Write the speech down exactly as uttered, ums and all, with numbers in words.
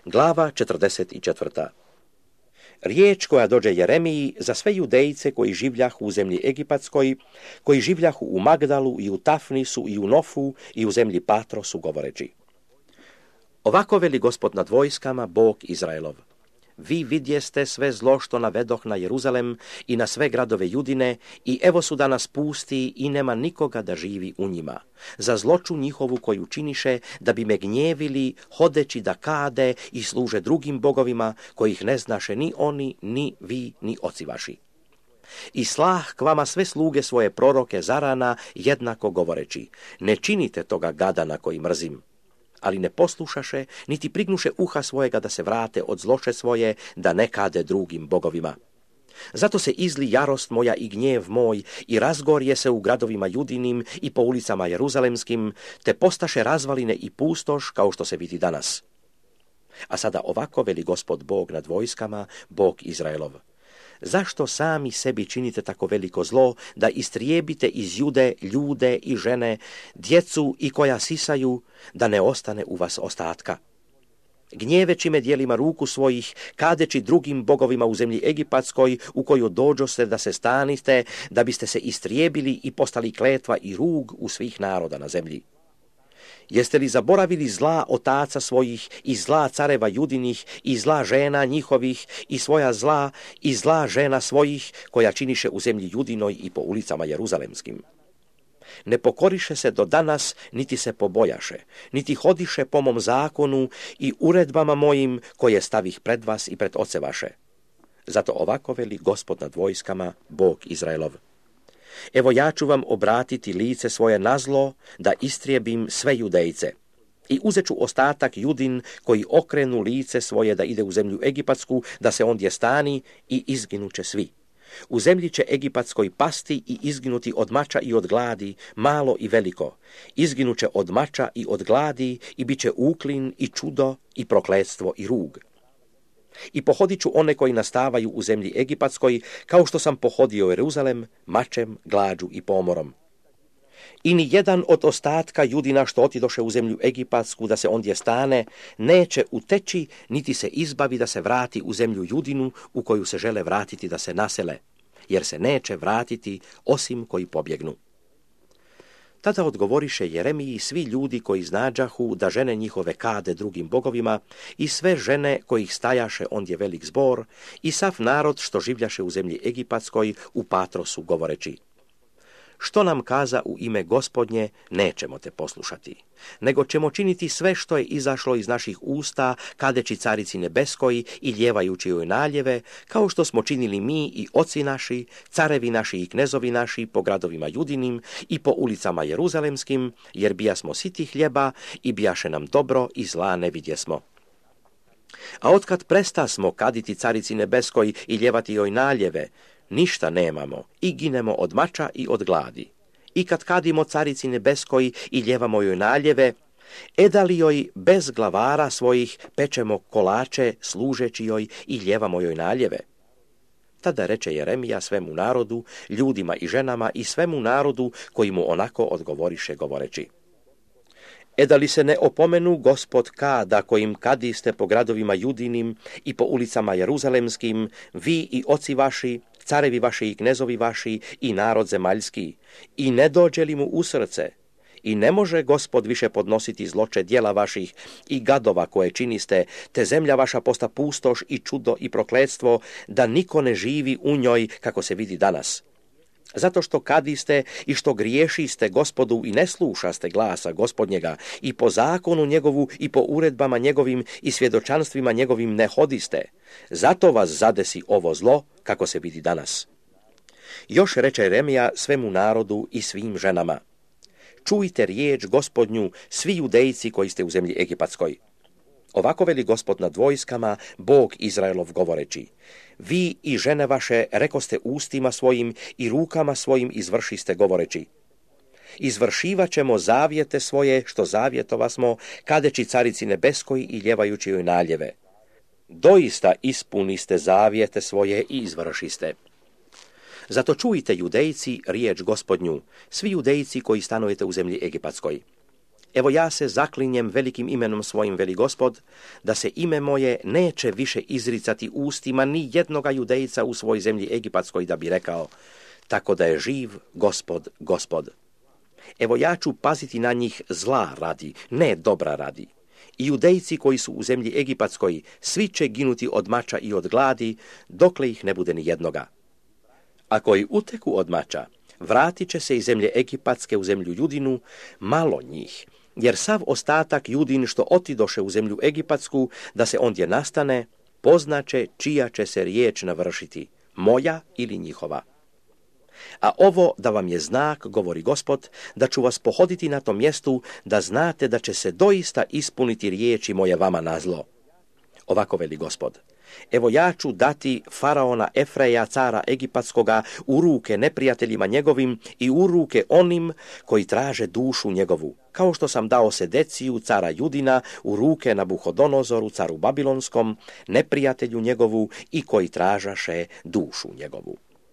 Glava četrdeset četvrta. Riječ koja dođe Jeremiji za sve judejce koji življahu u zemlji Egipatskoj, koji življahu u Magdalu i u Tafnisu i u Nofu i u zemlji Patrosu, govoreći: Ovako veli Gospod nad vojskama, Bog Izraelov. Vi vidjeste sve zlo što navedoh na Jeruzalem i na sve gradove Judine, i evo su danas pusti i nema nikoga da živi u njima. Za zloču njihovu koju činiše, da bi me gnjevili, hodeći da kade i služe drugim bogovima, kojih ne znaše ni oni, ni vi, ni oci vaši. I slah k vama sve sluge svoje proroke zarana, jednako govoreći: Ne činite toga gada na koji mrzim. Ali ne poslušaše, niti prignuše uha svojega da se vrate od zloče svoje, da ne kade drugim bogovima. Zato se izli jarost moja i gnjev moj, i razgorje se u gradovima Judinim i po ulicama Jeruzalemskim, te postaše razvaline i pustoš, kao što se vidi danas. A sada ovako veli Gospod Bog nad vojskama, Bog Izraelov: Zašto sami sebi činite tako veliko zlo, da istrijebite iz Jude ljude i žene, djecu i koja sisaju, da ne ostane u vas ostatka? Gnjeveći me dijelima ruku svojih, kadeći drugim bogovima u zemlji Egipatskoj, u koju dođoste da se staniste, da biste se istrijebili i postali kletva i rug u svih naroda na zemlji. Jeste li zaboravili zla otaca svojih i zla careva Judinih i zla žena njihovih i svoja zla i zla žena svojih, koja činiše u zemlji Judinoj i po ulicama Jeruzalemskim? Ne pokoriše se do danas, niti se pobojaše, niti hodiše po mom zakonu i uredbama mojim, koje stavih pred vas i pred oce vaše. Zato ovako veli Gospod nad vojskama, Bog Izraelov: Evo ja ću vam obratiti lice svoje na zlo, da istrijebim sve judejce. I uzet ću ostatak Judin, koji okrenu lice svoje da ide u zemlju Egipatsku, da se ondje stani, i izginuće svi. U zemlji će Egipatskoj pasti i izginuti od mača i od gladi, malo i veliko. Izginuće od mača i od gladi, i bit će uklin i čudo i prokletstvo i rug. I pohodit ću one koji nastavaju u zemlji Egipatskoj, kao što sam pohodio Jeruzalem, mačem, glađu i pomorom. I ni jedan od ostatka Judina što otidoše u zemlju Egipatsku da se ondje stane, neće uteći, niti se izbavi da se vrati u zemlju Judinu, u koju se žele vratiti da se nasele, jer se neće vratiti osim koji pobjegnu. Tada odgovoriše Jeremiji svi ljudi koji znađahu da žene njihove kade drugim bogovima, i sve žene kojih stajaše ondje velik zbor, i sav narod što življaše u zemlji Egipatskoj u Patrosu, govoreći: Što nam kaza u ime Gospodnje, nećemo te poslušati, nego ćemo činiti sve što je izašlo iz naših usta, kadeći carici nebeskoj i ljevajući joj naljeve, kao što smo činili mi i oci naši, carevi naši i knezovi naši po gradovima Judinim i po ulicama Jeruzalemskim, jer bijasmo siti hljeba i bijaše nam dobro i zla ne vidjesmo. A otkad prestasmo kaditi carici nebeskoj i ljevati joj naljeve, ništa nemamo i ginemo od mača i od gladi. I kad kadimo carici nebeskoj i ljevamo joj naljeve, edali joj bez glavara svojih pečemo kolače služeći joj i ljevamo joj naljeve. Tada reče Jeremija svemu narodu, ljudima i ženama i svemu narodu koji mu onako odgovoriše govoreći: E da li se ne opomenu Gospod kada kojim kadiste po gradovima Judinim i po ulicama Jeruzalemskim, vi i oci vaši, carevi vaši i knezovi vaši i narod zemaljski, i ne dođe li mu u srce, i ne može Gospod više podnositi zloče djela vaših i gadova koje činiste, te zemlja vaša posta pustoš i čudo i prokletstvo, da niko ne živi u njoj kako se vidi danas. Zato što kadiste i što griješiste Gospodu i ne slušaste glasa Gospodnjega, i po zakonu njegovu i po uredbama njegovim i svjedočanstvima njegovim ne hodiste, zato vas zadesi ovo zlo kako se vidi danas. Još reče Jeremija svemu narodu i svim ženama: Čujte riječ Gospodnju, svi judejci koji ste u zemlji Egipatskoj. Ovako veli Gospod nad vojskama, Bog Izraelov, govoreći: Vi i žene vaše rekoste ustima svojim i rukama svojim izvršiste govoreći: Izvršivat ćemo zavjete svoje što zavjetova smo, kadeći carici nebeskoj i ljevajući joj naljeve. Doista ispuniste zavjete svoje i izvršiste. Zato čujte, judejci, riječ Gospodnju, svi judejci koji stanujete u zemlji Egipatskoj. Evo ja se zaklinjem velikim imenom svojim, veli Gospod, da se ime moje neće više izricati ustima ni jednoga judejca u svoj zemlji egipatskoj, da bi rekao, tako da je živ Gospod, Gospod. Evo ja ću paziti na njih zla radi, ne dobra radi. I judejci koji su u zemlji egipatskoj, svi će ginuti od mača i od gladi, dokle ih ne bude ni jednoga. A koji uteku od mača, vratit će se iz zemlje egipatske u zemlju Judinu, malo njih, jer sav ostatak Judin što otidoše u zemlju egipatsku, da se ondje nastane, poznaće čija će se riječ navršiti, moja ili njihova. A ovo da vam je znak, govori Gospod, da ću vas pohoditi na tom mjestu, da znate da će se doista ispuniti riječi moje vama na zlo. Ovako veli Gospod, evo ja ću dati faraona Efreja, cara egipatskoga, u ruke neprijateljima njegovim i u ruke onim koji traže dušu njegovu, kao što sam dao Sedeciju, cara Judina, u ruke Nabuhodonozoru, caru Babilonskom, neprijatelju njegovu i koji tražaše dušu njegovu.